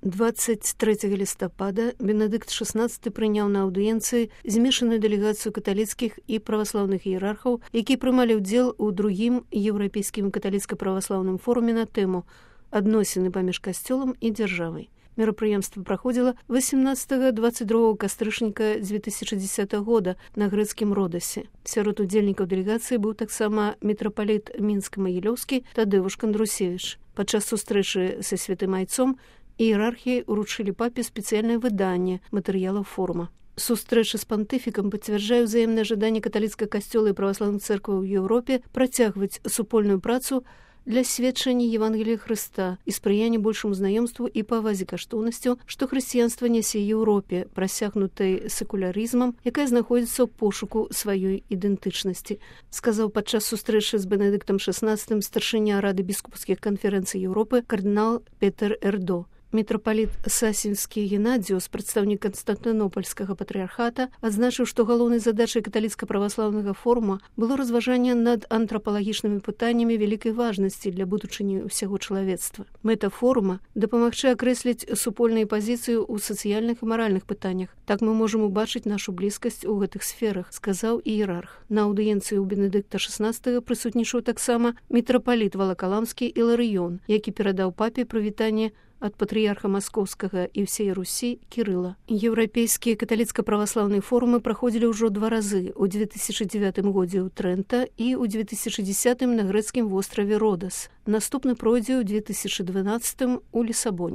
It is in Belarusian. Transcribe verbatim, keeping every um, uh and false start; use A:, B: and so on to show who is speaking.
A: двадцать трэцяга лістапада Бенедыкт шаснаццаты прыняў на аўдыенцыі змешаную дэлегацыю каталіцкіх і праваслаўных іерархаў, якія прымалі ўдзел у другім еўрапейскім каталіцка-праваслаўным форуме на тэму «Адносіны паміж касцёлам і дзяржавай». Мерапрыемства праходзіла васемнаццатага дваццаць другога кастрычніка дзве тысячы дзесятага года на грэцкім Родасе. Сярод удзельнікаў дэлегацыі быў таксама мітрапаліт мінска-магілёўскі Тадзеуш Кандрусевіч. Падчас сустрэчы са святым айцом іерархіі уручылі папе спецыяльнае выданне матэрыялаў форума. Сустрэча з пантыфікам пацвярджае ўзаемнае жаданне каталіцкага касцёла і праваслаўных цэркваў у Еўропе працягваць супольную працу для сведчання Евангелія Хрыста і спрыяння большаму знаёмству і павазе каштоўнасцяў, што хрысціянства нясе Еўропе, прасякнутай секулярызмам, якая знаходзіцца ў пошуку сваёй ідэнтычнасці, сказаў падчас сустрэчы з Бенедыктам шаснаццатым старшыня Рады біскупскіх канферэнцый Еўропы кардынал Петер Эрдо. Мітрапаліт Сасінскі Геннадзіус, прадстаўнік Канстантынопольскага патрыархата, адзначыў, што галоўнай задачай каталіцка-праваслаўнага форума было разважанне над антрапалагічнымі пытаннямі вялікай важнасці для будучыні ўсяго чалавецтва. Мэта форума – дапамагчы акрэсліць супольныя пазіцыі ў сацыяльных і маральных пытаннях. Так мы можам убачыць нашу блізкасць у гэтых сферах, сказаў іерарх. На аўдыенцыі ў Бенедыкта шаснаццатага прысутнічаў таксама мітрапаліт Валакаламскі Іларыён, які перадаў папе прывітанне ад патрыярха Маскоўскага і ўсей Русі Кірыла. Еўрапейскія каталіцка-праваслаўныя форумы праходзілі ўжо два разы у дзве тысячы дзевятым годзе ў Трэнта і ў дзве тысячы дзесятым на грэцкім востраве Родас. Наступны пройдзе ў дзве тысячы дванаццатым у Лісабоне.